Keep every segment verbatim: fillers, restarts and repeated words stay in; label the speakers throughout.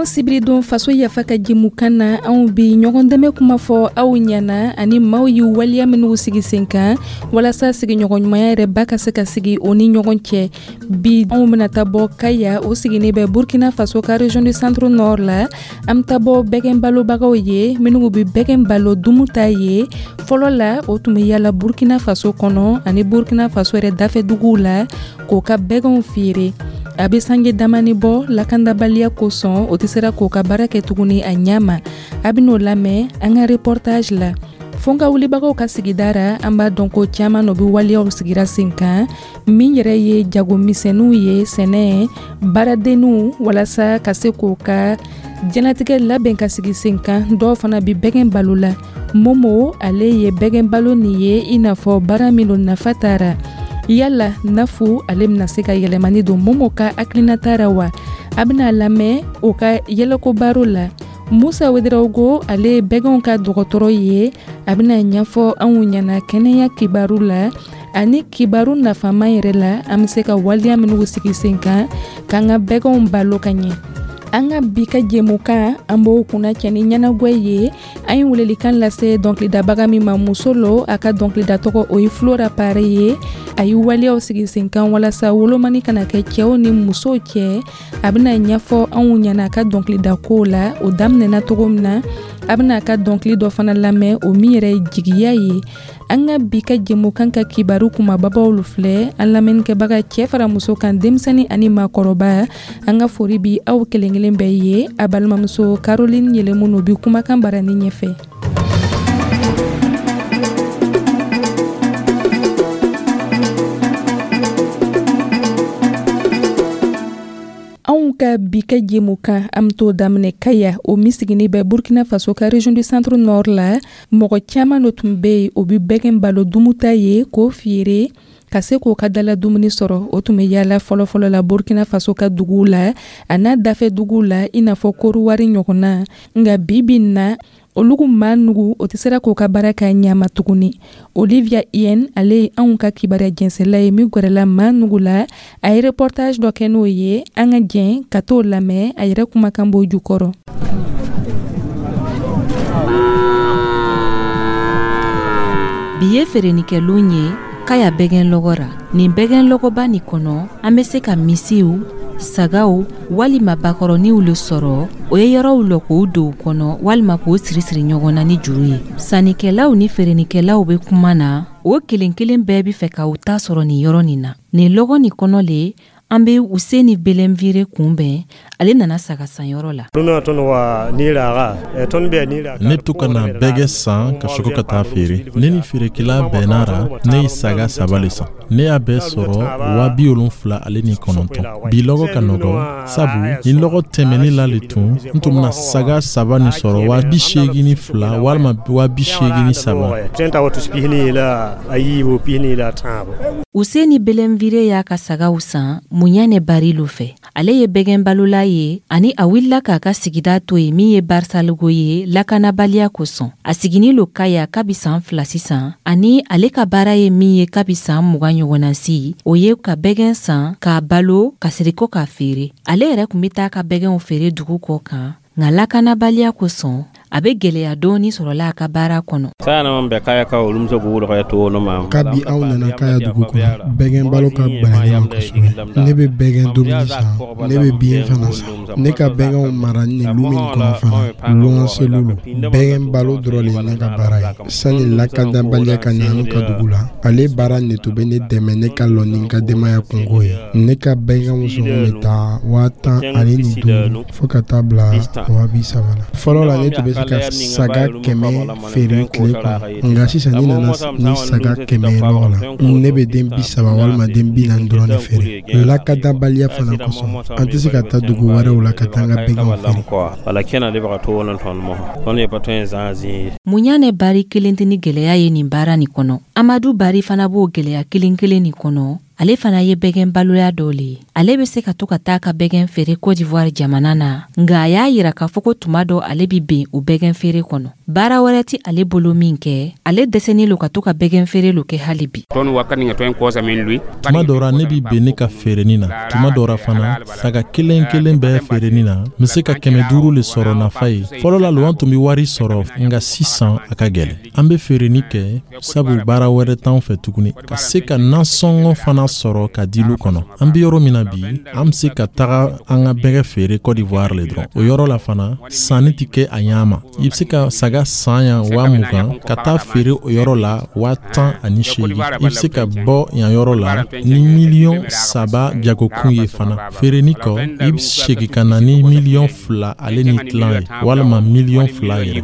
Speaker 1: Sibiridon sibiridon faso yafa ka jɛmukan na, anw bi ɲɔgɔn dɛmɛ kuma fɔ aw ɲɛna ani maaw ye waleya minnu sigi sen kan walasa sigiɲɔgɔnɲumanya yɛrɛ ba ka se ka sigi o ni ɲɔgɔn cɛ. Bi anw bɛna taa bɔ Kaya, o sigilen bɛ Burkina Faso ka région du Centre Nord la. An bɛ taa bɔ bɛgɛn balobagaw ye minnu bɛ bɛgɛn balo dumu ta ye. Fɔlɔ la, o tun bɛ yala Burkina Faso kɔnɔ ani Burkina Faso yɛrɛ dafɛ duguw la k'o ka bɛgɛnw feere. A bɛ sange damani bɔ, lakandabaliya kosɔn o tɛ sera k'o ka baara kɛ tuguni a ɲɛ ma. A bɛ n'o lamɛn an ka reportage la. Fo ka wulibagaw ka sigida ra, an b'a dɔn ko caman o bɛ waleyaw sigira sen kan min yɛrɛ ye jagomisɛnninw ye, sɛnɛ baaradenninw, walasa ka se k'o ka diɲɛlatigɛ labɛn ka sigi sen kan. Dɔw fana bɛ bɛgɛn balo la. Momo, ale ye bɛgɛn balo nin ye i n'a fɔ baara min don nafa taara. Yala nafu ale bɛna se ka yɛlɛmani don Momo ka hakilinata ra wa? A bɛna lamɛn o ka yɛlɛko baro la. Musa Wederawogo, ale ye bɛgɛnw ka dɔgɔtɔrɔ ye, a bɛna ɲɛfɔ anw ɲɛna kɛnɛya kibaru la ani kibaru nafama yɛrɛ la, an bɛ se ka waleya minnu sigi sen kan k'an ka bɛgɛnw balo ka ɲɛ. An ka bi ka jɛmukan, an b'o kunna cɛ ni ɲɛnagwɛ ye. An ye welelikan lase dɔnkilidabaga min ma, muso lo, a ka dɔnkilida tɔgɔ o ye Flora Pare ye. A ye waleyaw sigi sen kan walasa wolomani kana kɛ cɛw ni musow cɛ. A bɛna ɲɛfɔ anw ɲɛna a ka dɔnkilida kow la, o daminɛna cogo min na. A bɛna a ka dɔnkili dɔ fana lamɛn, o min yɛrɛ ye jigiya ye. An ka bi ka jɛmukan ka kibaru kumababaw filɛ. An lamɛnnikɛbaga, cɛ fara muso kan, denmisɛnnin ani maakɔrɔba, an ka fori bi aw kelen kelen bɛɛ ye. A balimamuso Caroline Yɛlɛmunu bi kumakan barani ɲɛfɛ. Anw ka bi ka jɛmukan, an bɛ t'o daminɛ Kaya, o min sigilen bɛ Burkina Faso ka région du Centre Nord la. Mɔgɔ caman dɔ tun bɛ yen, o bɛ bɛgɛn balo dumuta ye k'o feere ka se k'o ka dala dumuni sɔrɔ. O tun bɛ yaala fɔlɔfɔlɔ la Burkina Faso ka duguw la a n'a dafɛ duguw la, i n'a fɔ Koruwari ɲɔgɔnna. Nka bi bi in na, olugu maa nugu o tɛ sera k'o ka baara kɛ ɲama tuguni. Olivia Yen, ale ye anw ka kibaruya jɛnsɛla ye min gɛrɛla maa nugu la, a ye reportage dɔ kɛ n'o ye. An ka jɛn ka t'o lamɛn, a yɛrɛ kumakan b'o jukɔrɔ.
Speaker 2: Bi ye feerenikɛlon ye Kaya bɛgɛn lɔgɔ ra. Nin bɛgɛn lɔgɔba nin kɔnɔ, an bɛ se ka misiw, sagaw walima bakɔrɔniw le sɔrɔ. O ye yɔrɔw lɔ k'o don u kɔnɔ walima k'o siri siri ɲɔgɔn na ni juru ye. Sannikɛlaw ni feerenikɛlaw bɛ kuma na, o kelen kelen bɛɛ bɛ fɛ ka u ta sɔrɔ nin yɔrɔ nin na. Nin lɔgɔ nin kɔnɔ le, an bɛ Useni Belenvire kunbɛn. Ale nana saga sanyɔrɔ la.
Speaker 3: Ne to ka na bɛgɛ san ka sɔrɔ ka taa feere. Ne ni feerekɛla bɛnna ra, ne ye saga saba le san. Ne y'a bɛɛ sɔrɔ waa bi wolonfila ale ni kɔnɔntɔn. Bi lɔgɔ ka nɔgɔ, sabu ni lɔgɔ tɛmɛni la le tun, n tun bɛna saga saba nin sɔrɔ waa bi seegin ni fila walima waa bi seegin ni saba.
Speaker 2: Useni Belenvire y'a ka sagaw san Muɲane Barilo fɛ. Ale ye bɛgɛn balola ye ani a wulila k'a ka sigida to yen min ye Barisalogo ye lakanabaliya kosɔn. A siginin lo Kaya kabi san fila sisan, ani ale ka baara ye min ye kabi san mugan ɲɔgɔnna si, o ye ka bɛgɛn san k'a balo ka siri ko k'a feere. Ale yɛrɛ tun bɛ taa ka bɛgɛnw feere dugu kɔ kan, nka lakanabaliya kosɔn a bɛ gɛlɛya dɔɔni sɔrɔla a ka baara kɔnɔ.
Speaker 4: Kabi aw nana Kaya dugu kɔnɔ, bɛgɛn balo ka gbɛlɛn ne ma kosɛbɛ. Ne bɛ bɛgɛn dumuni san, ne bɛ biɲɛ fana san. Ne ka bɛgɛnw mara nin lu min kɔnɔ fana, luwanselu lo. Bɛgɛn balo dɔrɔn le ye ne ka baara ye. Sani lakanabaliya ka na an ka dugu la, ale baara nin tun bɛ ne dɛmɛ ne ka lɔ ni n ka denbaya kungo ye. Ne ka bɛgɛnw sɔngɔ bɛ taa waa tan ani ni duuru fo ka taa bila waa bi saba la. Fɔlɔ la, ne tun bɛ se ka saga kɛmɛ feere tile kɔnɔ, nka sisan ni nana ni saga kɛmɛ ye lɔgɔ la, ne bɛ den bi saba walima den bi naani dɔrɔn de feere. Lakanabaliya fana kosɔn, an tɛ se ka taa dugu wɛrɛw la ka taa an ka bɛgɛnw feere.
Speaker 2: Muɲane Bari kelen tɛ ni gɛlɛya ye nin baara nin kɔnɔ. Amadu Bari fana b'o gɛlɛya kelen kelen nin kɔnɔ. Ale fana ye bɛgɛn baloya dɔ le ye. Ale bɛ se ka to ka taa ka bɛgɛn feere Côte d'Ivoire jamana na, nka a y'a yira k'a fɔ ko tuma dɔ ale bi ben o bɛgɛn feere kɔnɔ. Baara wɛrɛ ti ale bolo min kɛ, ale dɛsɛnen lo ka to ka bɛgɛn feere lo kɛ hali bi.
Speaker 3: Tuma dɔ ra, ne bi ben ne ka feereni na. Tuma dɔ ra fana, saga kelen kelen bɛɛ feereni na, n be se ka kɛmɛ duuru le sɔrɔ nafa ye. Fɔlɔ la lo, an tun be wari sɔrɔ, nga sisan a ka gwɛlɛ. An be feereni kɛ sabu baara wɛrɛ t'an fɛ tuguni, ka se ka nasɔngɔ fana sɔrɔ ka di lu kɔnɔ. An be yɔrɔ min na bi, an be se ka taga an ka bɛgɛ feere Côte d'Ivoire le dɔrɔn. O yɔrɔ la fana, sanni tɛ kɛ a ɲa ma. I be se ka saga san yan waa mugan, ka taa feere o yɔrɔ la waa tan ani seegin. I be se ka bɔ yan yɔrɔ la ni miliyɔn saba jagokun ye fana. Feereni kɔ, i be segi ka na ni miliyɔn fila ale ni tilan ye, walama miliyɔn fila yɛrɛ.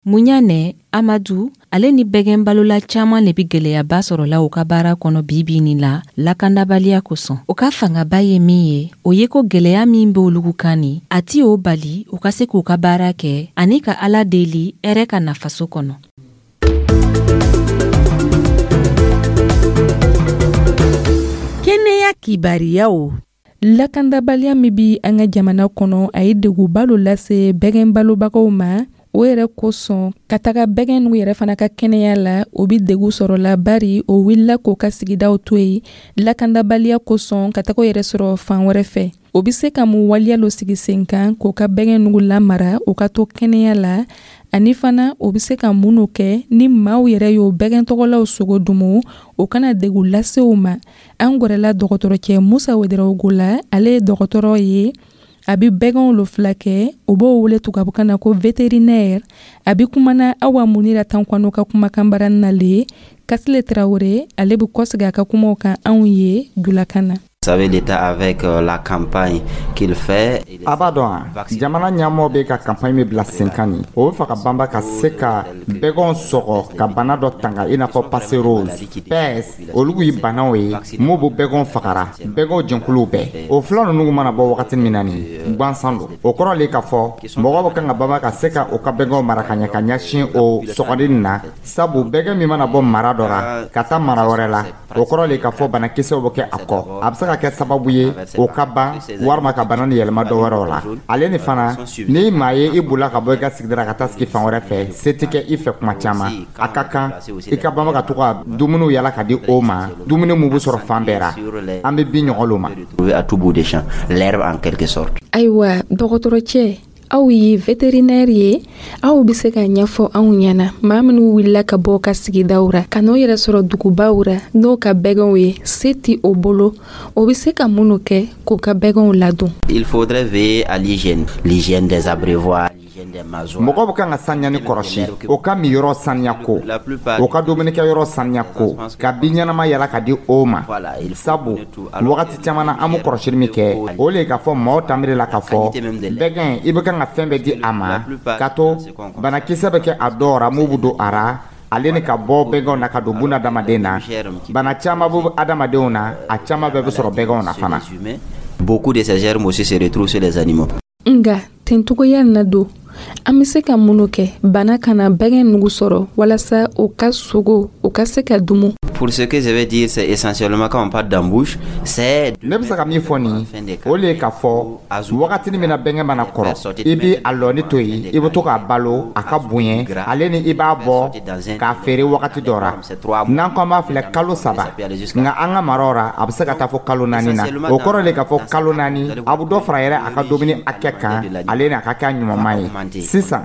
Speaker 2: Muɲanɛ Amadu, ale ni bɛgɛn balola caaman le bi gwɛlɛyaba sɔrɔla u ka baara kɔnɔ bibi nin la, lakandabaliya kosɔn. O ka fangaba ye min ye, o ye ko gwɛlɛya min be olugu kan ni a ti o bali u ka se k'u ka baara kɛ ani ka Ala deli hɛrɛ ka na faso kɔnɔ.
Speaker 5: Kɛnɛya kibariyaw.
Speaker 1: Lakandabaliya min bi an ka jamana kɔnɔ, a ye deguba lo lase bɛgɛn balobagaw ma. O yɛrɛ kosɔn, ka taga bɛgɛn n'u yɛrɛ fana ka kɛnɛya la, o bi degu sɔrɔ la, bari o wulila k'o ka sigidaw to yen lakandabaliya kosɔn, ka taga o yɛrɛ sɔrɔ fan wɛrɛ fɛ. O be se ka mun waleya lo sigi sen kan k'o ka bɛgɛn nugu lamara, o ka to kɛnɛya la? Ani fana, o be se ka mun no kɛ ni maaw yɛrɛ y'o bɛgɛn tɔgɔlaw sogo dumu, o kana degu lase u ma? An gwɛrɛla dɔgɔtɔrɔcɛ Musa Wederawogo la. Ale ye dɔgɔtɔrɔ ye, a bi bɛgɛnw lo filakɛ, o b'o wele tubabukan na ko vétérinaire. A bi kumana Awa Munira Tankwano ka kumakan baara na le. Kasile Tarawele, ale bi kɔsegi a ka kumaw kan anw ye julakan na.
Speaker 6: Savez, l'État, avec euh, la campagne qu'il fait.
Speaker 7: A b'a dɔn a jamana ɲɛmɔgɔ bɛ ka campagne min bila sen kan nin, o bɛ fɛ ka banba ka se ka bɛgɛnw sɔgɔ ka bana dɔ tanga, i n'a fɔ passerose, peste. Olu ye banaw ye mun bɛ bɛgɛnw fagara, bɛgɛnw jɛnkuluw bɛɛ. O fila ninnu mana bɔ wagati min na nin gansan don, o kɔrɔ le k'a fɔ mɔgɔ bɛ kan ka banba ka se ka o ka bɛgɛnw mara ka ɲɛ ka ɲɛsin o sɔgɔli nin na, sabu bɛgɛn min mana bɔ mara dɔ la ka taa mara wɛrɛ la, o kɔrɔ le k'a fɔ banakisɛw bɛ kɛ a kɔ. A bɛ se ka kɛ sababu ye o ka ban walima ka bana ni yɛlɛma dɔ wɛrɛw la. Ale ni fana, ni maa ye i bolila ka bɔ i ka sigida ka taa sigi fan wɛrɛ fɛ, se tɛ kɛ i fɛ kuma caman, a ka kan i ka banba ka to ka dumuniw yala ka di o ma, dumuni mun bɛ sɔrɔ fan bɛɛ ra. An bɛ bin ɲɔgɔn lo ma.
Speaker 6: À tout bout de champ, l'herbe en quelque sorte.
Speaker 1: Ayiwa, dɔgɔtɔrɔcɛ, aw ye vétérinaire ye, aw bɛ se ka ɲɛfɔ anw ɲɛna, maa minnu wulila ka bɔ ka sigidaw ra ka n'o yɛrɛ sɔrɔ dugubaw ra n'o ka bɛgɛnw ye, se ti o bolo, o bɛ se ka minnu kɛ k'o ka bɛgɛnw ladon?
Speaker 6: Il faudrait veiller à l'hygiène, l'hygiène des abreuvoirs.
Speaker 7: Mɔgɔ bɛ kan ka saniya ni kɔrɔsi, o ka miyɔrɔ saniya ko, o ka dumunikɛyɔrɔ saniya ko, ka bin ɲɛnama yala ka di o ma, sabu wagati caman na, an bɛ kɔrɔsili min kɛ, o le ye k'a fɔ maaw tanbiri la k'a fɔ bɛgɛn, i bɛ kan ka fɛn bɛɛ di a ma, ka to banakisɛ bɛ kɛ a dɔw ra mun bɛ don a ra, ale ni ka bɔ bɛgɛnw na ka don buna adamaden na. Bana caman bɛ adamadenw na, a caman bɛɛ bɛ sɔrɔ bɛgɛnw na fana.
Speaker 6: Beaucoup de ces germes aussi se retrouvent sur les animaux.
Speaker 1: Nga tencogoya na don, an bɛ se ka minnu kɛ bana kana bɛgɛn nugu sɔrɔ walasa o ka sogo o ka se ka dumu?
Speaker 6: Pour ce que je vais dire, c'est essentiellement quand on parle d'embouche, c'est
Speaker 7: Ne bɛ se ka min fɔ nin, o le ye k'a fɔ wagatinin min na bɛnkɛ mana kɔrɔ, i bi a lɔni to yen, i bɛ to k'a balo a ka bonya, ale ni i b'a bɔ k'a feere wagati dɔ ra. N'an ko an b'a filɛ kalo saba, nka an ka maraw ra, a bɛ se ka taa fɔ kalo naani na. O kɔrɔ le k'a fɔ kalo naani, a bɛ dɔ fara yɛrɛ a ka dumuni hakɛ kan, ale ni a ka kɛ a ɲumanma ye. Sisan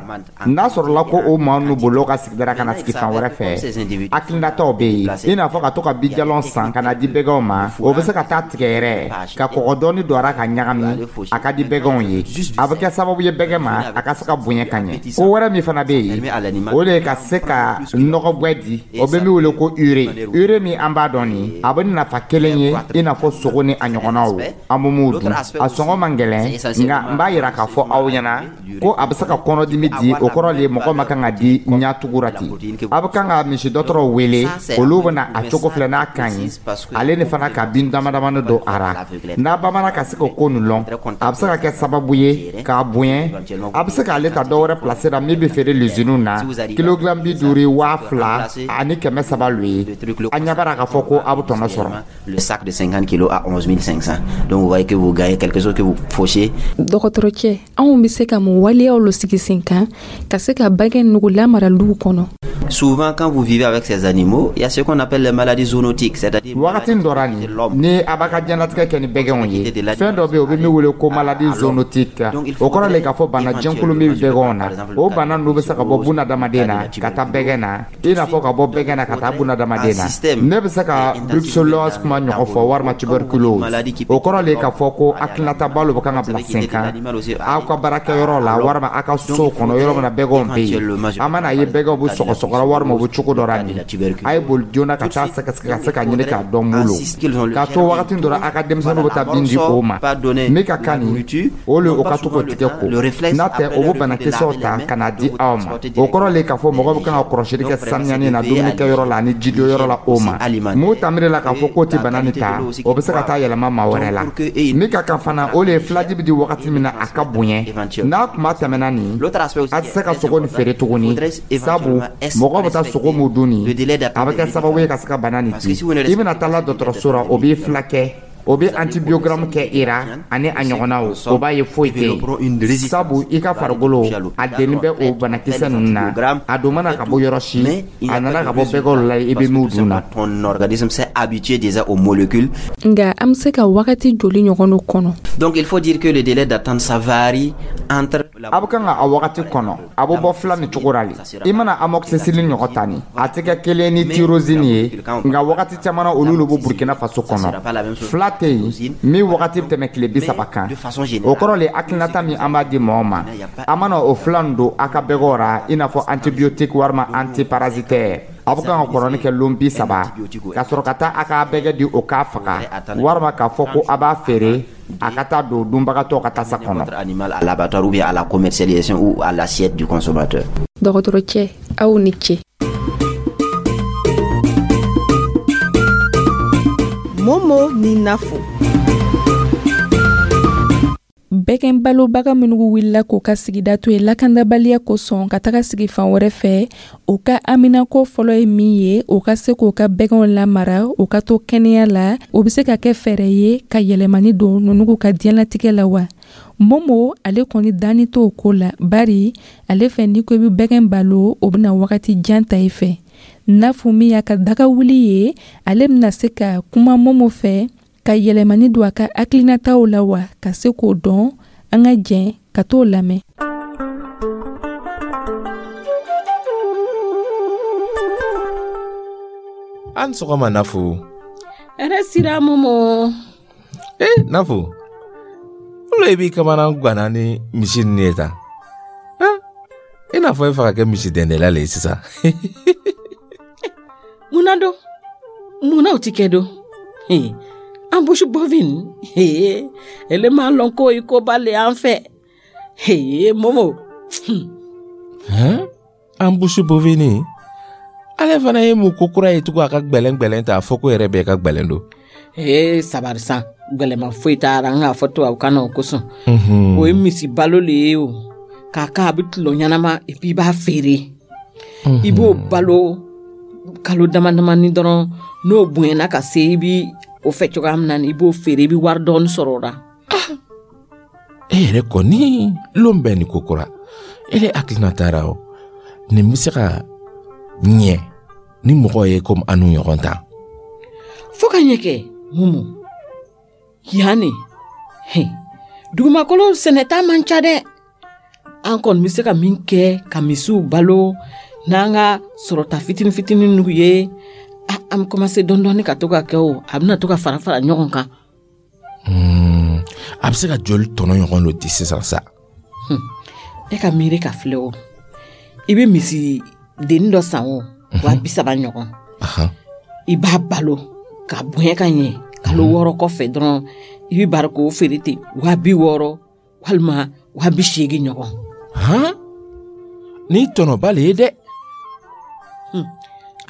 Speaker 7: n'a sɔrɔla ko o maa ninnu bolila ka sigida ka na sigi fan wɛrɛ fɛ, hakilinataw bɛ yen, i n'a fɔ ka to ka bijalɔn san ka na di bɛgɛnw ma. O bɛ se ka taa tigɛ yɛrɛ ka kɔgɔ dɔɔni don a ra ka ɲagami, a ka di bɛgɛnw ye. A bɛ kɛ sababu ye bɛgɛn ma a ka se ka bonya ka ɲɛ. Ko wɛrɛ min fana bɛ yen, o de ye ka se ka nɔgɔgwɛ di, o bɛ min wele ko urée. Urée min an b'a dɔn nin, a bɛ nafa kelen ye i n'a fɔ sogo ni a ɲɔgɔnnaw, an bɛ mun dun, a sɔngɔ man gɛlɛn. Nka n b'a yira k'a fɔ aw ɲɛna ko a bɛ se ka kɔnɔdimi di o kɔrɔ le mɔgɔ ma kan ka di ɲatugura ten a bɛ kan ka misi dɔgɔtɔrɔw wele olu bɛna a cogo filɛ n'a ka ɲi ale ni fana ka bin dama damani don a ra n'a bamanan ka se k'o ko nin lɔn a bɛ se ka kɛ sababu ye k'a bonya a bɛ se k'ale ta dɔwɛrɛ place la min bɛ feere luziniw na kilogramme bi duuru waa fila ani kɛmɛ saba lo ye a ɲɛ b'a la k'a fɔ ko a bɛ tɔnɔ sɔrɔ.
Speaker 6: Le sac de cinquante kilos à onze mille cinq cents. Donc vous voyez que vous gagnez quelque chose que vous fauchez.
Speaker 1: Dɔgɔtɔrɔcɛ, anw bɛ se ka mun waleyaw lo sigi sen kan ka se ka bɛgɛn nugu lamara luw kɔnɔ?
Speaker 6: Souvent, quand vous vivez avec ces animaux, il y a ce qu'on appelle les maladies zoonotiques, c'est-à-dire
Speaker 7: wagati dɔ la nin ni a b'a ka diɲɛlatigɛ kɛ ni bɛgɛnw ye, fɛn dɔ bɛ yen o bɛ min wele ko maladie zoonotique. O kɔrɔ le k'a fɔ bana jɛnkulu min bɛ bɛgɛnw na, o bana ninnu bɛ se ka bɔ bunadamaden na ka taa bɛgɛn na, i n'a fɔ ka bɔ bɛgɛn na ka taa bunadamaden na. Ne bɛ se ka brucellose kuma ɲɔgɔn fɔ walima tuberculose. O kɔrɔ le k'a fɔ ko hakilinata balo bɛ kan ka bila sen kan aw ka baarakɛyɔrɔ la walima aw ka so kɔnɔ yɔrɔ min na bɛgɛnw bɛ yen. A mana ye bɛgɛnw bɛ sɔgɔsɔgɔ walima u bɛ cogo dɔ la nin, a ye boli joona ka taa sɛgɛsɛgɛ ka se ka ɲini k'a dɔn mun lo k'a to wagati dɔ la a ka denmisɛnninw bɛ taa bin di o ma min ka kan nin o le o ka to k'o tigɛ ko n'a tɛ o bɛ banakisɛw ta ka na di aw ma. O kɔrɔ le k'a fɔ mɔgɔ bɛ kan ka kɔlɔsili kɛ sanuyani na dumunikɛyɔrɔ la ani jidonyɔrɔ la o ma mun ta miiri la k'a fɔ k'o tɛ bana nin ta, o bɛ se ka taa yɛlɛma maa wɛrɛ la. Min ka kan fana, o le ye filaji bɛ di wagati min na a ka bonya n'a kuma tɛmɛna nin, a tɛ se ka sogo nin feere tuguni, sabu mɔgɔ bɛ taa sogo mun dun nin, a bɛ kɛ sababu ye ka se ka bana nin di. I bɛna taa la dɔgɔtɔrɔso la, o b'i filakɛ, o bɛ antibiogramme kɛ i ra ani a ɲɔgɔnnaw, o b'a ye foyi tɛ yen, sabu i ka farikolo a denni bɛ o banakisɛ ninnu na. A don mana ka bɔ yɔrɔ si, a nana ka bɔ bɛgɛw la i bɛ min dun na.
Speaker 6: Ton organisme s'est habitué déjà aux molécules.
Speaker 1: Nka an bɛ se ka wagati joli ɲɔgɔn dɔ kɔnɔ?
Speaker 6: Donc il faut dire que le délai d'attente, ça varie entre
Speaker 7: A bɛ kan ka a wagati kɔnɔ, a bɛ bɔ fila ni cogo la le. I mana amoxicilline ɲɔgɔn ta nin, a tɛ kɛ kelen ni tyrosine ye, nka wagati caman na olu de bɛ Burkina Faso kɔnɔ. Fila tɛ yen min wagati bɛ tɛmɛ tile bi saba kan. O kɔrɔ le hakilinata min an b'a di mɔgɔw ma, a mana o fila nin don a ka bɛgɛw ra, i n'a fɔ antibiotique walima antiparasitaire, a bɛ kan ka kɔrɔni kɛ lon bi saba ka sɔrɔ ka taa a ka bɛgɛ di o k'a faga walima k'a fɔ ko a b'a feere a ka taa don dunbagatɔ ka tasa kɔnɔ.
Speaker 6: Animal à l'abattoir ou bien à la commercialisation ou à l'assiette du consommateur.
Speaker 1: Dɔgɔtɔrɔcɛ, aw ni ce.
Speaker 5: Momo ni Nafo.
Speaker 1: Bɛgɛn balobaga minnu wulila k'u ka sigida to yen lakandabaliya kosɔn ka taga sigi fan wɛrɛ fɛ, u ka aminako fɔlɔ ye min ye, u ka se k'u ka bɛgɛnw lamara, u ka to kɛnɛya la. O bɛ se ka kɛ fɛɛrɛ ye ka yɛlɛmani don ninnu ka diɲɛlatigɛ la wa? Momo ale kɔni danni t'o ko la, bari ale fɛ n'i ko i bɛ bɛgɛn balo, o bɛna wagati jan ta i fɛ. Nafo min y'a ka daga wuli ye, ale bɛna se ka kuma Momo fɛ ka yɛlɛmani don a ka hakilinataw la wa, ka se k'o dɔn. An ka jɛn ka t'o lamɛn.
Speaker 8: An sɔgɔma Nafo.
Speaker 9: Hɛrɛ sira Momo.
Speaker 8: Eh Nafo, olu e b'i kamana ganna ni misi ninnu ye tan? I n'a fɔ e fɛ ka kɛ misi dɛndɛla le ye sisan.
Speaker 9: Munna don? Munna o ti kɛ don? Embouche bovine, ele m'a lɔn ko i ko ba le an fɛ. Momo.
Speaker 8: Hein? Embouche bovine? Ale fana ye mun ko kura ye tugun a ka gbɛlɛn gbɛlɛn ta a fɔ ko yɛrɛ bɛɛ ka gbɛlɛn don.
Speaker 9: Ee sabari san, gbɛlɛma foyi t'a la, n k'a fɔ tubabukan na o kosɔn. O ye misi balo le ye o. K'a k'a bɛ tulon ɲɛnama et puis i b'a feere. I b'o balo kalo dama damani dɔrɔn, n'o bonyana ka se i bi o fɛ cogoya min na, i b'o feere, i bɛ wari dɔɔni sɔrɔ o la.
Speaker 8: E yɛrɛ kɔni lon bɛɛ ni ko kura. Ele hakilina taara o nin bɛ se ka ɲɛ ni mɔgɔ ye komi an n'u ɲɔgɔn ta.
Speaker 9: Fo ka ɲɛ kɛ Momo. Yan nin, dugumakolo sɛnɛta man ca dɛ. An kɔni bɛ se ka min kɛ ka misiw balo n'an ka sɔrɔta fitinin fitinin n'u ye, an bɛ commencer dɔɔni dɔɔni ka to ka kɛ o, a bɛna to ka fara fara ɲɔgɔn kan.
Speaker 8: A bɛ se ka joli tɔnɔ ɲɔgɔn dɔ di sisan sa?
Speaker 9: E ka miiri ka filɛ o, i bɛ misi dennin dɔ san o, wa bi saba ɲɔgɔn. I b'a balo ka bonya ka ɲɛ, kalo wɔɔrɔ kɔfɛ dɔrɔn i bɛ bari k'o feere ten wa bi wɔɔrɔ walima wa bi seegin ɲɔgɔn.
Speaker 8: Han? Ni tɔnɔba le ye dɛ.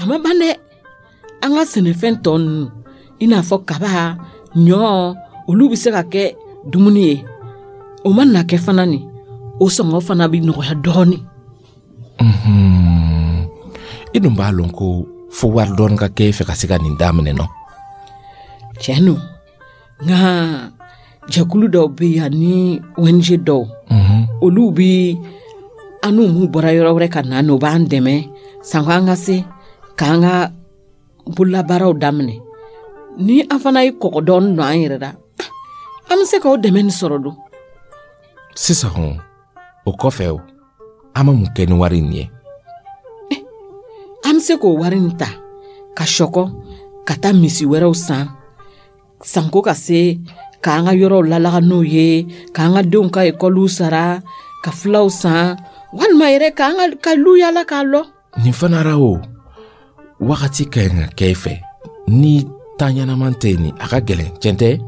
Speaker 9: A ma ban dɛ. An ka sɛnɛfɛn tɔ ninnu, i n'a fɔ kaba, ɲɔ, olu bɛ se ka kɛ dumuni ye. O ma na kɛ fana nin, o sɔngɔ fana bɛ nɔgɔya dɔɔnin.
Speaker 8: I dun b'a lɔn ko fo wari dɔɔni ka kɛ e fɛ ka se ka nin daminɛ nɔ.
Speaker 9: Tiɲɛ don, nka jɛkulu dɔw bɛ yen ani O N G dɔw, olu bɛ an n'u m'u bɔra yɔrɔ wɛrɛ ka na, n'o b'an dɛmɛ sanko an ka se k'an ka bololabaaraw daminɛ. Ni an fana ye kɔgɔ dɔɔni don an yɛrɛ la, an bɛ se k'o dɛmɛ nin sɔrɔ don.
Speaker 8: Sisan o kɔfɛ, o an bɛ mun kɛ ni wari in ye?
Speaker 9: An bɛ se k'o wari in ta ka sɔkɔ ka taa misi wɛrɛw san, sanko ka se k'an ka yɔrɔw lalaga n'o ye, k'an ka denw ka ekɔliw sara, ka filaw san, walima yɛrɛ k'an ka ka lu yala k'a lɔ.
Speaker 8: Nin fana ra, o wagati ka ɲi ka kɛ i fɛ ni taa ɲɛnaman tɛ yen, a ka gɛlɛn, tiɲɛ tɛ?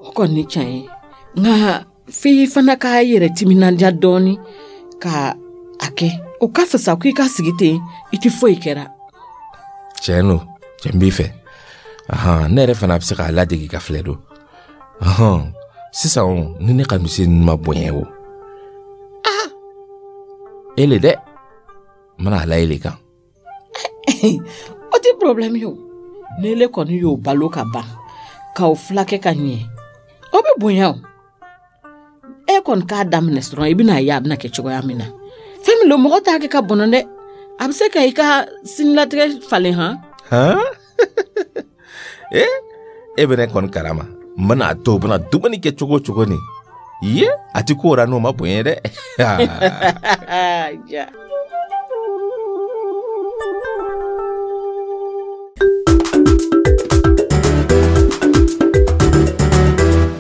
Speaker 9: O kɔni tiɲɛ ye, nka f'i fana k'a yɛrɛ timinandiya dɔɔni ka a kɛ. O ka fisa ko i ka sigi ten, i tɛ foyi kɛra.
Speaker 8: Tiɲɛ don, tiɲɛ b'i fɛ. Ahan, ne yɛrɛ fana bɛ se k'a ladege ka filɛ don. Ahan, sisan o, ni ne ka misi ninnu ma bonya o, ah, e le dɛ, n bɛna a la e le kan.
Speaker 9: O tɛ problème ye o. N'ele kɔni y'o balo ka ban k'o fulakɛ ka ɲɛ, o bɛ bonya o. E kɔni k'a daminɛ dɔrɔn, i bɛna ye a bɛna kɛ cogoya min na. Fɛn min don, mɔgɔ t'a kɛ ka bɔnɔ dɛ, a bɛ se ka i ka sinilatigɛ falen han.
Speaker 8: Han, e e bɛ ne kɔni kalama, n bɛna a to u bɛna dumuni kɛ cogo o cogo nin ye, a ti ko ra n'o ma bonya dɛ.
Speaker 9: Ja.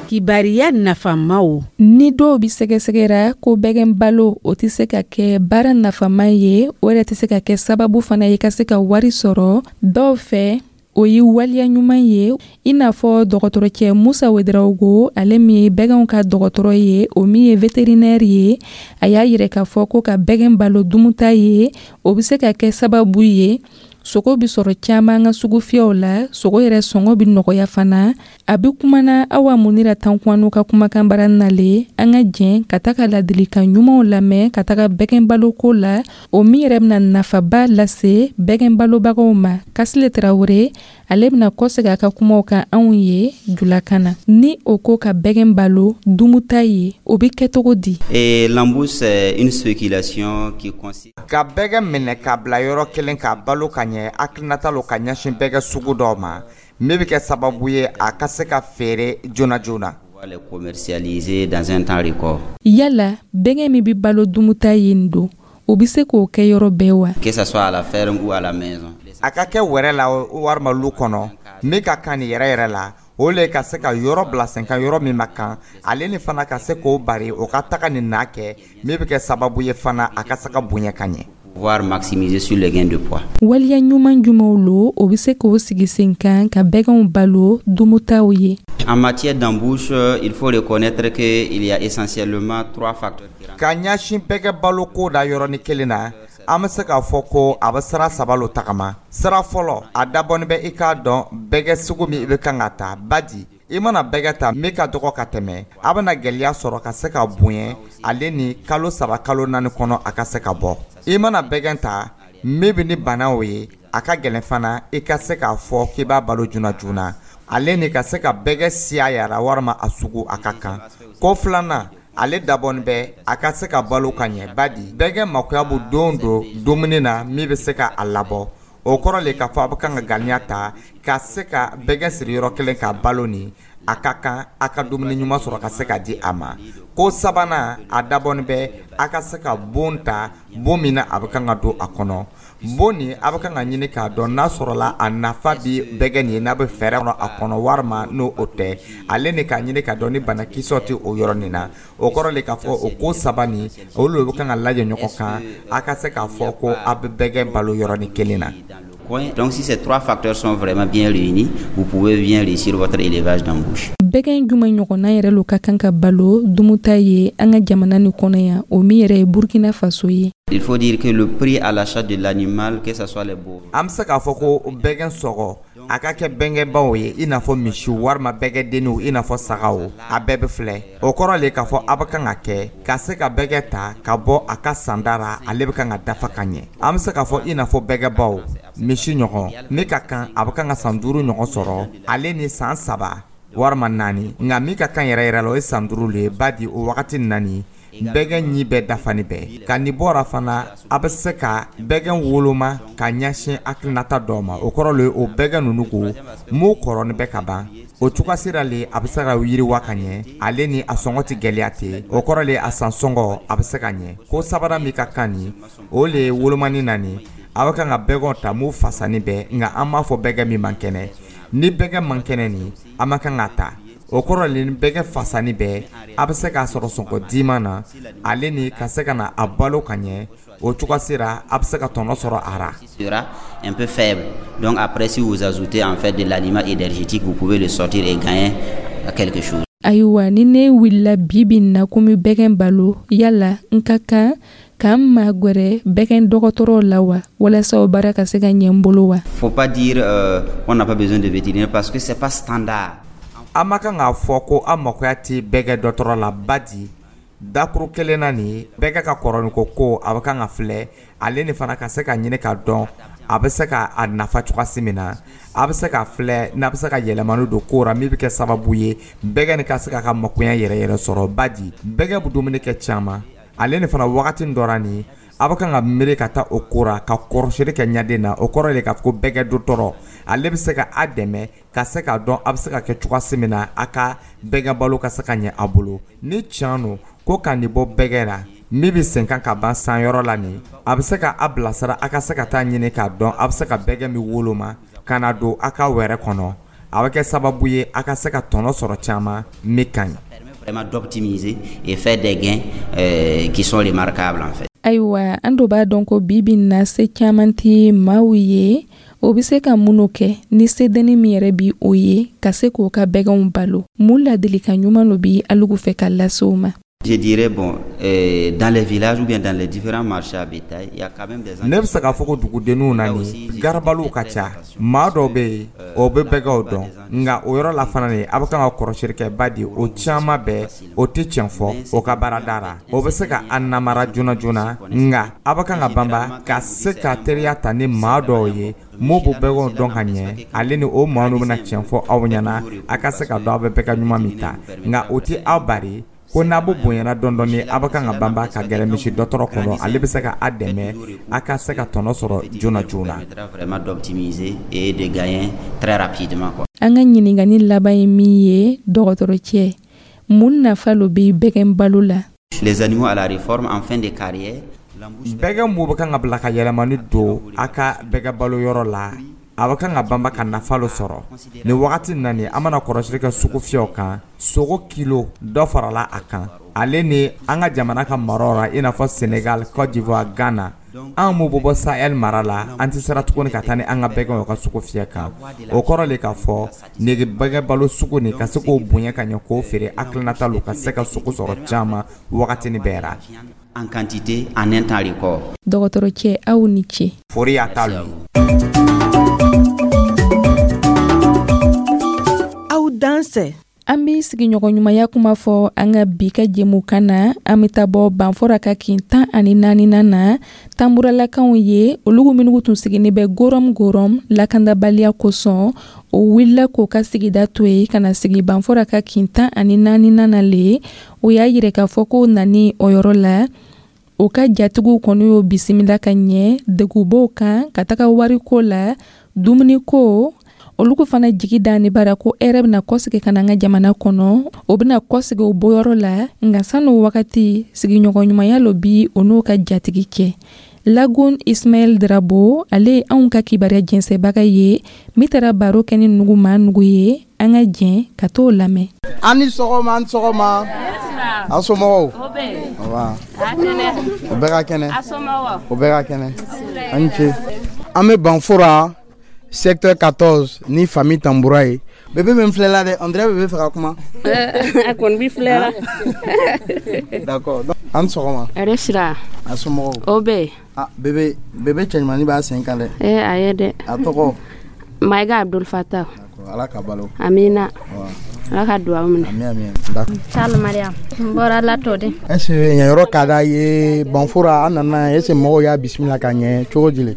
Speaker 10: Kibariya nafamaw.
Speaker 1: Ni dɔw bɛ sɛgɛsɛgɛra ko bɛgɛn balo, o tɛ se ka kɛ baara nafama ye, o yɛrɛ tɛ se ka kɛ sababu fana ye ka se ka wari sɔrɔ dɔw fɛ, o ye waleya ɲuman ye. I n'a fɔ dɔgɔtɔrɔcɛ Musa Wedarawogo, ale min ye bɛgɛnw ka dɔgɔtɔrɔ ye, o min ye vétérinaire ye, a y'a yira k'a fɔ ko ka bɛgɛn balo dumuta ye, o bɛ se ka kɛ sababu ye sogo bɛ sɔrɔ caman ka sugufiyɛw la, sogo yɛrɛ sɔngɔ bɛ nɔgɔya fana. A bɛ kumana Awa Munira Tankuwanu ka kumakan bara nalen. An ka jɛn ka taga ladilikan ɲumanw lamɛn ka taga bɛgɛn baloko la, o min yɛrɛ bɛna nafaba lase bɛgɛn balobagaw ma. Kasile Tarawele, ale bɛna kɔsegin a ka kumaw kan anw ye julakan na. Ni o ko ka bɛgɛn balo dumuta ye, o bɛ kɛ cogo di?
Speaker 6: Et l'embouche, c'est une spéculation qui consiste
Speaker 7: ka bɛgɛ minɛ k'a bila yɔrɔ kelen k'a balo ka ɲɛ, hakilinata lo ka ɲɛsin bɛgɛ sugu dɔw ma min bɛ kɛ sababu ye a ka se ka feere joona joona.
Speaker 6: les commercialiser dans un temps record.
Speaker 1: Yala bɛgɛ min bɛ balo dumuta ye nin don, o bɛ se k'o kɛ yɔrɔ bɛɛ wa?
Speaker 6: Que ça soit à la ferme ou à la maison.
Speaker 7: A ka kɛ wɛrɛ la walima lu kɔnɔ, min ka kan nin yɛrɛ yɛrɛ la, o le ka se ka yɔrɔ bila sen kan, yɔrɔ min ma kan, ale ni fana ka se k'o bari o ka taga nin n'a kɛ, min bɛ kɛ sababu ye fana a ka se ka bonya ka ɲɛ.
Speaker 6: Pouvoir maximiser sur les gains de poids.
Speaker 1: Waleya ɲuman jumɛnw lo, o bɛ se k'o sigi sen kan ka bɛgɛnw balo dumutaw ye?
Speaker 6: En matière d'embouche, il faut reconnaître qu'il y a essentiellement trois facteurs.
Speaker 7: Ka ɲɛsin bɛgɛ baloko da yɔrɔnin kelen na, an bɛ se k'a fɔ ko a bɛ sira saba lo tagama. Sira fɔlɔ, a dabɔnin bɛ i k'a dɔn bɛgɛ sugu min i bɛ kan ka ta, badi i mana bɛgɛ ta min ka dɔgɔ ka tɛmɛ, a bɛna gɛlɛya sɔrɔ ka se ka bonya, ale ni kalo saba kalo naani kɔnɔ a ka se ka bɔ. I mana bɛgɛ ta min bɛ ni banaw ye, a ka gɛlɛn fana i ka se k'a fɔ k'i b'a balo joona joona, ale ni ka se ka bɛgɛ siya yara walima a sugu a ka kan. Ko filanan, ale dabɔnin bɛ a ka se ka balo ka ɲɛ, badi bɛgɛ makoya bɛ don don dumuni na min bɛ se ka a labɔ. O kɔrɔ le k'a fɔ a bɛ kan ka ganiya ta ka se ka bɛgɛ siri yɔrɔ kelen ka balo nin, a ka kan a ka dumuni ɲuman sɔrɔ ka se ka di a ma. Ko sabanan, a dabɔnin bɛ a ka se ka bon ta, bon min na a bɛ kan ka don a kɔnɔ. Bon nin, a bɛ kan ka ɲini k'a dɔn n'a sɔrɔla a nafa bi bɛgɛ nin ye, n'a bɛ fɛɛrɛ kɔnɔ a kɔnɔ walima n'o o tɛ, ale ni k'a ɲini k'a dɔn ni banakisɛw tɛ o yɔrɔ nin na. O kɔrɔ le k'a fɔ o ko saba nin, olu de bɛ kan ka lajɛ ɲɔgɔn kan a ka se k'a fɔ ko a bɛ bɛgɛ balo yɔrɔnin kelen na.
Speaker 6: Donc si ces trois facteurs sont vraiment bien réunis, vous pouvez bien réussir votre élevage d'embouche.
Speaker 1: Bɛgɛn jumɛn ɲɔgɔnna yɛrɛ lo ka kan ka balo dumuta ye an ka jamana nin kɔnɔ yan, o min yɛrɛ ye Burkina Faso ye?
Speaker 6: Il faut dire que le prix à l'achat de l'animal, que ce soit les bovins.
Speaker 7: An bɛ se k'a fɔ ko bɛgɛn sɔgɔ, a ka kɛ bɛnkɛbaw ye i n'a fɔ misiw walima bɛgɛdenninw i n'a fɔ sagaw, a bɛɛ bɛ filɛ. O kɔrɔ le k'a fɔ a bɛ kan ka kɛ ka se ka bɛgɛ ta ka bɔ a ka sanda ra, ale bɛ kan ka dafa ka ɲɛ. An bɛ se k'a fɔ i n'a fɔ bɛgɛbaw, misi ɲɔgɔn min ka kan, a bɛ kan ka san duuru ɲɔgɔn sɔrɔ, ale ni san saba walima naani. Nka min ka kan yɛrɛ yɛrɛ la, o ye san duuru le ye. Ba di o wagati naani, bɛgɛn ɲi bɛɛ dafani bɛɛ ka nin bɔra fana, a bɛ se ka bɛgɛn woloma ka ɲɛsin hakilinata dɔw ma. O kɔrɔ le, o bɛgɛn ninnu ko m'u kɔrɔni bɛ ka ban, o cogoya sira le a bɛ se ka yiriwa ka ɲɛ, ale ni a sɔngɔ tɛ gɛlɛya ten. O kɔrɔ le, a san sɔngɔ a bɛ se ka ɲɛ. Ko sabanan min ka kan nin, o le ye wolomani na nin, a bɛ kan ka bɛgɛnw ta m'u fasani bɛɛ. Nka an b'a fɔ bɛgɛn min man kɛnɛ, ni bɛgɛn man kɛnɛ nin, an man kan k'a ta. O kɔrɔ le, ni bɛgɛ fasani bɛɛ, a bɛ se k'a sɔrɔ sɔngɔ diman na, ale ni ka se ka na a balo ka ɲɛ. O cogoya sera, a bɛ se ka tɔnɔ sɔrɔ a ra.
Speaker 6: Sera un peu faible. Donc après, si vous ajoutez en fait de l'aliment énergétique, vous pouvez le sortir et gagner quelque chose.
Speaker 1: Ayiwa, ni ne wulila bi bi in na ko n bɛ bɛgɛn balo, yala n ka kan k'an magɛrɛ bɛgɛn dɔgɔtɔrɔw la wa, walasa o baara ka se ka ɲɛ n bolo wa?
Speaker 6: Faut pas dire euh, on n'a pas besoin de vétérinaire parce que c'est pas standard.
Speaker 7: An ma kan k'a fɔ ko an makoya tɛ bɛgɛ dɔgɔtɔrɔ la. Ba di dakuru kelen na nin, bɛgɛ ka kɔrɔnin ko ko a bɛ kan ka filɛ, ale ni fana ka se ka ɲini ka dɔn a bɛ se ka a nafa cogoya min na, a bɛ se ka filɛ n'a bɛ se ka yɛlɛmani don ko ra min bɛ kɛ sababu ye bɛgɛ nin ka se k'a ka makoya yɛrɛ yɛrɛ sɔrɔ. Ba di bɛgɛ bɛ dumuni kɛ caman, ale ni fana wagati dɔ ra nin, a bɛ kan ka miiri ka taa o ko ra ka kɔrɔsili kɛ ɲaden na. O kɔrɔ de k'a fɔ ko bɛgɛ dɔgɔtɔrɔ, ale bɛ se ka a dɛmɛ ka se k'a dɔn a bɛ se ka kɛ cogoya min na a ka bɛgɛ balo ka se ka ɲɛ a bolo. Ni tiɲɛ don ko ka nin bɔ bɛgɛ la min bɛ sen kan ka ban san yɔrɔ la nin, a bɛ se ka a bilasira a ka se ka taa ɲini k'a dɔn a bɛ se ka bɛgɛ min woloma ka na don a ka wɛrɛ kɔnɔ, a bɛ kɛ sababu ye a ka se ka tɔnɔ sɔrɔ caman min ka ɲi.
Speaker 6: Vraiment d'optimiser et faire des gains euh, qui sont remarquables en fait.
Speaker 1: Ayiwa, an do b'a dɔn ko bi bi in na, se caman tɛ maaw ye. O bɛ se ka minnu kɛ ni sedenni min yɛrɛ bi o ye ka se k'o ka bɛgɛnw balo, mun ladilikan ɲuman lo bi alugu fɛ ka lase o ma?
Speaker 6: Je dirais, bon, euh, dans les villages ou bien dans les différents marchés à bétail, il y a quand même des
Speaker 7: Ne bɛ se k'a fɔ ko dugudenninw na nin, garabaliw ka ca. Maa dɔw bɛ yen, o bɛ bɛgɛw dɔn. Nka o yɔrɔ la fana nin, a bɛ kan ka kɔrɔsili kɛ. Ba di o caman bɛɛ, o tɛ tiɲɛ fɔ o ka baarada la. O bɛ se ka a namara joona joona. Nka a bɛ kan ka banba ka se ka teriya ta ni maa dɔw ye m'o b'o bɛgɛw dɔn ka ɲɛ, ale ni o maa ninnu bɛna tiɲɛ fɔ aw ɲɛna, a ka se ka dɔn a bɛ bɛgɛ ɲuman min ta. Nka o tɛ aw bari ko n'a bɛ bonyana dɔɔni dɔɔni, a bɛ kan ka banba ka gɛrɛ misi dɔgɔtɔrɔ kɔnɔ, ale bɛ se ka a dɛmɛ a ka se ka tɔnɔ sɔrɔ joona joona.
Speaker 6: Vraiment d'optimiser et de gagner très rapidement, quoi.
Speaker 1: An ka ɲininkali laban ye min ye, dɔgɔtɔrɔ cɛ, mun nafa lo bɛ bɛgɛn balo la?
Speaker 6: Les animaux à la réforme en fin de carrière.
Speaker 7: Bɛgɛ mun bɛ kan ka bila ka yɛlɛmani don a ka bɛgɛ balo yɔrɔ la, a bɛ kan ka banba ka nafa lo sɔrɔ nin wagati na nin. An mana kɔrɔsili kɛ sugu fiyɛw kan, sogo kilo dɔ farala a kan, ale ni an ka jamana ka maraw la i n'a fɔ Sénégal, Côte d'Ivoire, Ghana. An m'o bɔ bɔ Sahel mara la, an tɛ sera tuguni ka taa ni an ka bɛgɛnw ka sugu fiyɛ kan. O kɔrɔ le k'a fɔ nege bɛgɛ balo sugu nin ka se k'o bonya ka ɲɛ k'o feere, hakilinata lo ka se ka sogo sɔrɔ caman wagati ni bɛɛ ra.
Speaker 6: En quantité en un temps record.
Speaker 1: Dɔgɔtɔrɔ cɛ, aw ni ce.
Speaker 7: Fori y'a ta lo.
Speaker 5: Aw dansɛ.
Speaker 1: An bɛ sigiɲɔgɔnɲumanya kuma fɔ an ka bi ka jɛmukan na. An bɛ taa bɔ Banfora ka kin tan ani naaninan na, tanburalakaw ye olu minnu tun sigilen bɛ gorom gorom lakandabaliya kosɔn, o wulila k'o ka sigida to yen ka na sigi Banfora ka kin tan ani naaninan na le. O y'a yira k'a fɔ ko nani o yɔrɔ la, o ka jatigiw kɔni y'o bisimila ka ɲɛ. Degun b'o kan ka taga wariko la, dumuniko, olu ko fana jigi da ni bara ko hɛrɛ bɛna kɔsigi ka na an ka jamana kɔnɔ, o bɛna kɔsigi o bɔyɔrɔ la. Nka san'o wagati, sigiɲɔgɔnɲumanya lo bi o n'o ka jatigi cɛ. Lagun Ismaɛl Drabo, ale ye anw ka kibaruya jɛnsɛbaga ye min taara baro kɛ ni nugu maa nugu ye. An ka jɛn ka t'o lamɛn.
Speaker 11: An ni sɔgɔma, an ni sɔgɔma. Aw somɔgɔw? O bɛɛ ka kɛnɛ, o bɛɛ ka kɛnɛ, an ni ce. An bɛ Banfora secteur quatorze ni famille Tambura ye. Bébé bɛ n filɛ la dɛ, on dirait bébé fɛ ka kuma.
Speaker 12: A kɔni b'i filɛ la.
Speaker 11: D'accord. An ni sɔgɔma.
Speaker 12: Hɛrɛ sira.
Speaker 11: A somɔgɔw?
Speaker 12: O bɛ yen.
Speaker 11: Ah, bébé bébé cɛɲumanin b'a sen kan dɛ.
Speaker 12: Ee, a ye dɛ.
Speaker 11: A tɔgɔ?
Speaker 12: Mayiga Abdul Fatah.
Speaker 11: Ala ka balo.
Speaker 12: Amina. Ala ka duwawu minɛ.
Speaker 11: Ami ami. D'accord.
Speaker 13: Sall Mariam n bɔra Latɔden.
Speaker 11: Est ce que yen yɔrɔ ka d'a ye Banfora an nana, est ce que mɔgɔw y'a bisimila ka ɲɛ cogo di le?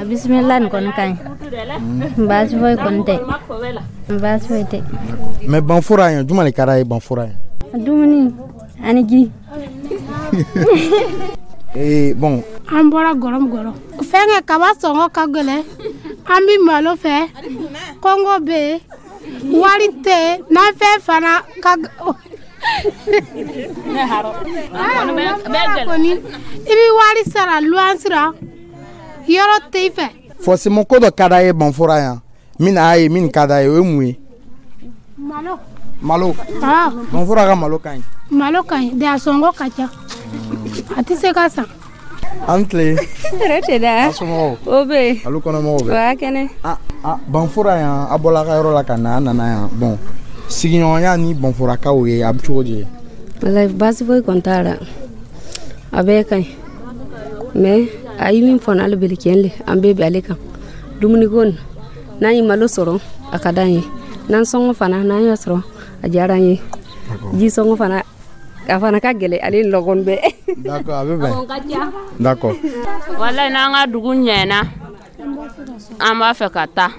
Speaker 13: A bisimila nin kɔni ka ɲi, baasi foyi kɔni tɛ, baasi foyi tɛ.
Speaker 11: Mais Banfora yan, juma de ka d'a ye Banfora yan?
Speaker 13: Dumuni ani ji.
Speaker 11: Ee, bon.
Speaker 14: An bɔra gɔrɔm gɔrɔ fɛnkɛ kaba sɔngɔ ka gɛlɛn, an bɛ malo fɛ, kɔngɔ bɛ yen, wari tɛ yen, nafɛn fana ka kɔni i bɛ wari sara luwanse la, yɔrɔ tɛ i fɛ.
Speaker 11: Forcément ko dɔ ka d'a ye Banfora yan min n'a ye min ka d'a ye, o ye mun ye?
Speaker 14: Malo.
Speaker 11: Malo. Banfora ka malo ka ɲi.
Speaker 14: Malo ka ɲi de, a sɔngɔ ka ca, a tɛ se ka san.
Speaker 11: An tile.
Speaker 15: Hɛrɛ tɛ da.
Speaker 11: A somɔgɔw?
Speaker 15: O bɛ yen.
Speaker 11: Alu kɔnɔmɔgɔw bɛ?
Speaker 15: Wa kɛnɛ.
Speaker 11: Ah ah, Banfora yan, a bɔla a ka yɔrɔ la ka na, an nana yan. Bon, sigiɲɔgɔnya ni Banforakaw ye, a bɛ cogo di?
Speaker 15: Walayi, baasi foyi kɔni t'a la, a bɛɛ ka ɲi, mais a ye min fɔ n'ale bele tiɲɛ le, an bɛɛ bɛ ale kan. Dumuniko nin, n'an ye malo sɔrɔ, a ka d'an ye, n'an sɔngɔ fana n'an y'a sɔrɔ, a diyara an ye, ji sɔngɔ fana a fana ka gɛlɛn, ale ni lɔgɔnin bɛɛ.
Speaker 11: D'accord, a bɛ bɛn. D'accord.
Speaker 12: Walayi, n'an ka dugu ɲɛna, an b'a fɛ ka taa,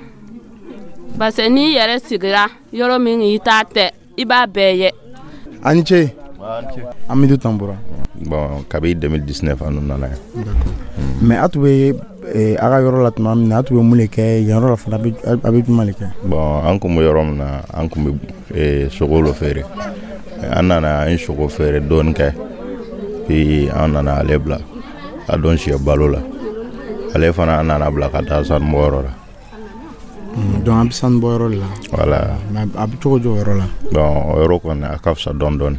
Speaker 12: parce que n'i yɛrɛ sigira yɔrɔ min i t'a tɛ, i b'a bɛɛ ye.
Speaker 11: A ni ce. Amidu Tambura.
Speaker 16: Bon, kabi deux mille dix-neuf an nana yan.
Speaker 11: Mais a tun bɛ a ka yɔrɔ la tuma min na, a tun bɛ mun de kɛ yen yɔrɔ la fana, a bɛ jumɛn de kɛ?
Speaker 16: Bon, an kun bɛ yɔrɔ min na, an kun bɛ sogo lo feere. An nana, an ye sogo feere dɔɔni kɛ, puis an nana ale bila a don sɛ balo la. Ale fana, an nana bila ka taa sanubɔyɔrɔ la.
Speaker 11: Donc an bɛ sanubɔyɔrɔ de la.
Speaker 16: Voilà.
Speaker 11: Mais a bɛ cogo di o yɔrɔ la?
Speaker 16: Bon, o yɔrɔ kɔni, a ka fisa dɔɔni dɔɔni.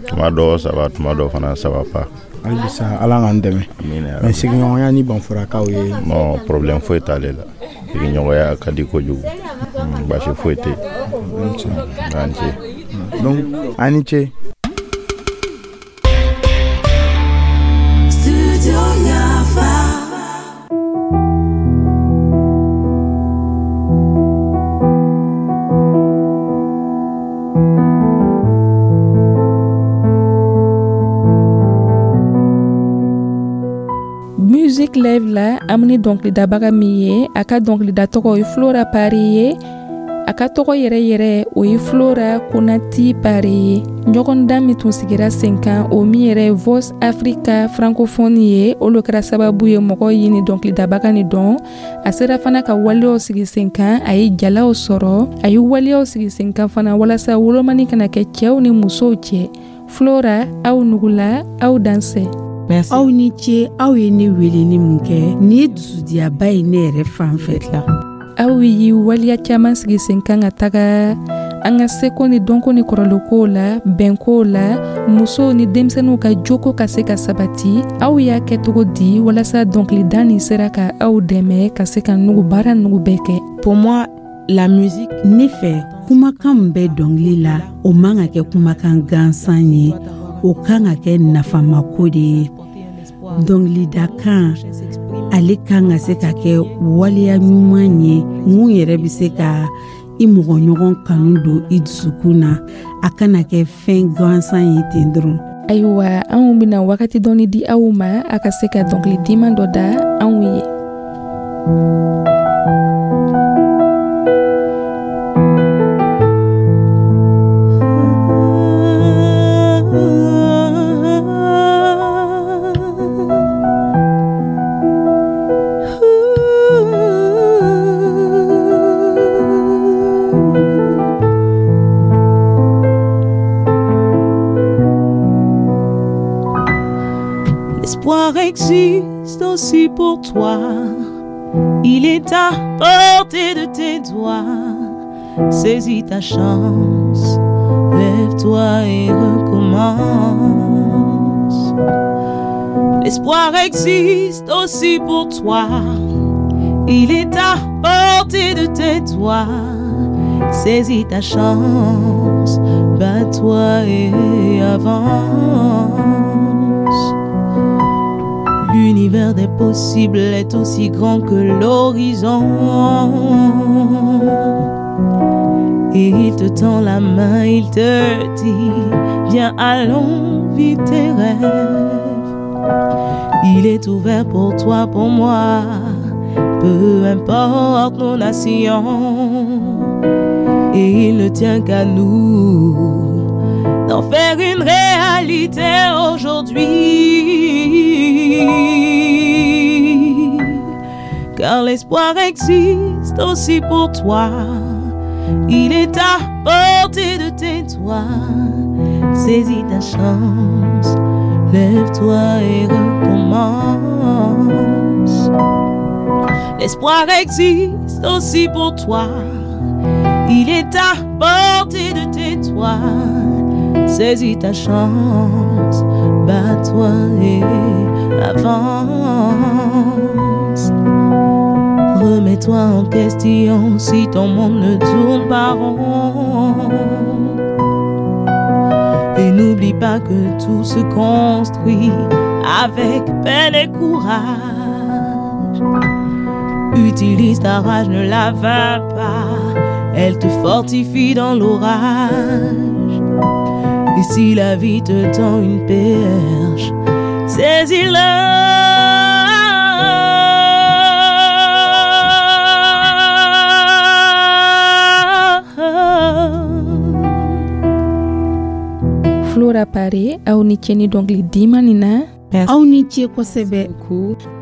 Speaker 16: Tuma dɔw ça va, tuma dɔw fana ça va pas.
Speaker 11: Hali bisa Ala k'an dɛmɛ. Mais sigiɲɔgɔnya ni Banforakaw ye?
Speaker 16: Non, problème foyi t'ale la. Sigiɲɔgɔnya ka di kojugu, baasi foyi tɛ yen. An ce.
Speaker 11: Donc a ni ce.
Speaker 1: Musique Live la, an ni dɔnkilidabaga min ye, a ka dɔnkilida tɔgɔ ye Flora Pari ye. A ka tɔgɔ yɛrɛ yɛrɛ, o ye Flora Konati Pari ye. Ɲɔgɔndan min tun sigira sen kan, o min yɛrɛ ye Voice Africa francophone ye, o lo kɛra sababu ye mɔgɔw ye ni dɔnkilidabaga ni dɔn. A sera fana ka waleyaw sigi sen kan, a ye jalaw sɔrɔ, a ye waleyaw sigi sen kan fana walasa wolomani kana kɛ cɛw ni musow cɛ. Flora, aw nugula, aw dansɛ.
Speaker 10: Aw ni ce, aw ye ne wele ni mun kɛ nin ye dusudiyaba ye ne yɛrɛ fan fɛ la.
Speaker 1: Aw ye waleya caman sigi sen kan ka taga an ka seko ni dɔnko ni kɔrɔlenkow la, bɛnkow la, musow ni denmisɛnninw ka joko ka se ka sabati. Aw y'a kɛ cogo di walasa dɔnkilida nin sera ka aw dɛmɛ ka se ka nugu baara nugu bɛɛ kɛ?
Speaker 10: Pour moi, la musique, ne fɛ, kumakan min bɛ dɔnkili la, o man ka kɛ kumakan gansan ye, o kan ka kɛ nafamako de ye. Dɔnkilidakan ale kan ka se ka kɛ waleya ɲuman ye mun yɛrɛ bɛ se ka i mɔgɔ ɲɔgɔn kanu don i dusukun na, a kana kɛ fɛn gansan ye ten dɔrɔn.
Speaker 1: Ayiwa, anw bɛna wagati dɔɔni di aw ma, a ka se ka dɔnkili diman dɔ da anw ye.
Speaker 17: L'espoir existe aussi pour toi. Il est à portée de tes doigts. Saisis ta chance, lève-toi et recommence. L'espoir existe aussi pour toi. Il est à portée de tes doigts. Saisis ta chance, bats-toi et avance. L'univers des possibles est aussi grand que l'horizon. Et il te tend la main, il te dit, viens, allons, vis tes rêves. Il est ouvert pour toi, pour moi, peu importe nos nations. Et il ne tient qu'à nous d'en faire une réalité aujourd'hui. Car l'espoir existe aussi pour toi. Il est à portée de tes doigts. Saisis ta chance, lève-toi et recommence. L'espoir existe aussi pour toi. Il est à portée de tes doigts. Saisis ta chance, bats-toi et avance. Remets-toi en question si ton monde ne tourne pas rond. Et n'oublie pas que tout se construit avec peine et courage. Utilise ta rage, ne la vains pas. Elle te fortifie dans l'orage. Et si la vie te tend une perche, saisis-la.
Speaker 1: Flora Pare, aw ni ce ni dɔnkili diman nin na.
Speaker 10: Aw ni ce kosɛbɛ.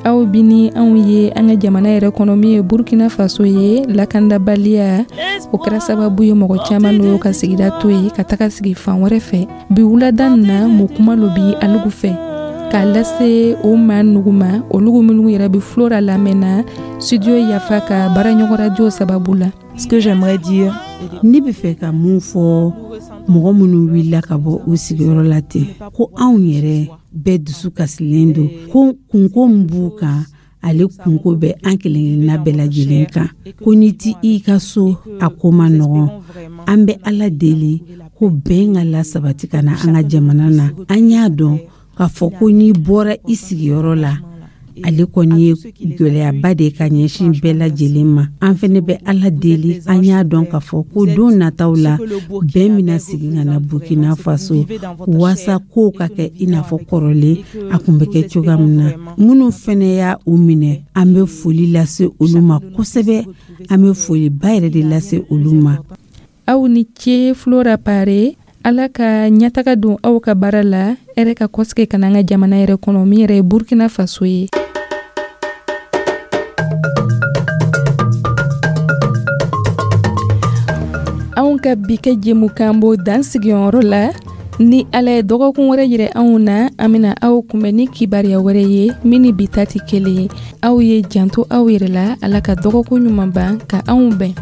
Speaker 1: Aw bi ni anw ye an ka jamana yɛrɛ kɔnɔ min ye Burkina Faso ye, lakandabaliya o kɛra sababu ye mɔgɔ caman n'o ka sigida to yen ka taga sigi fan wɛrɛ fɛ. Bi wulada nin na, mun kuma lo bi alugu fɛ k'a lase o maa nugu ma, olugu minnu yɛrɛ bɛ Flora lamɛnna studio Yafa ka baaraɲɔgɔn radio sababu la.
Speaker 17: Ce que j'aimerais dire,
Speaker 10: ne bɛ fɛ ka mun fɔ mɔgɔ minnu wulila ka bɔ u sigiyɔrɔ la ten, ko anw yɛrɛ bɛɛ dusu kasilen don, ko kunko min b'u kan, ale kunko bɛ an kelenkelenna bɛɛ lajɛlen kan, ko n'i ti i ka so, a ko ma nɔgɔn. An bɛ Ala deli ko bɛn ka lasabati ka na an ka jamana na. An y'a dɔn k'a fɔ ko n'i bɔra i sigiyɔrɔ la, ale kɔni ye gɛlɛyaba de ka ɲɛsin bɛɛ lajɛlen ma. An fɛnɛ bɛ Ala deli, an y'a dɔn k'a fɔ ko don nataw la, bɛn bɛna segin ka na Burkina Faso, waasa kow ka kɛ i n'a fɔ kɔrɔlen a kun bɛ kɛ cogoya min na. Minnu fɛnɛ y'a u minɛ, an bɛ foli lase olu ma kosɛbɛ, an bɛ foliba yɛrɛ de lase olu ma.
Speaker 1: Aw ni ce Flora Pare. Ala ka ɲɛtaga don aw ka baara la, hɛrɛ ka kɔsigi ka na an ka jamana yɛrɛ kɔnɔ min yɛrɛ ye Burkina Faso ye. Anw ka bi kɛ jɛmukan b'o dan sigiyɔrɔ la. Ni Ala ye dɔgɔkun wɛrɛ yira anw na, an bɛna aw kunbɛn ni kibaruya wɛrɛ ye min ni bi ta tɛ kelen ye. Aw ye janto aw yɛrɛ la. Ala ka dɔgɔkun ɲuman ban ka anw bɛn.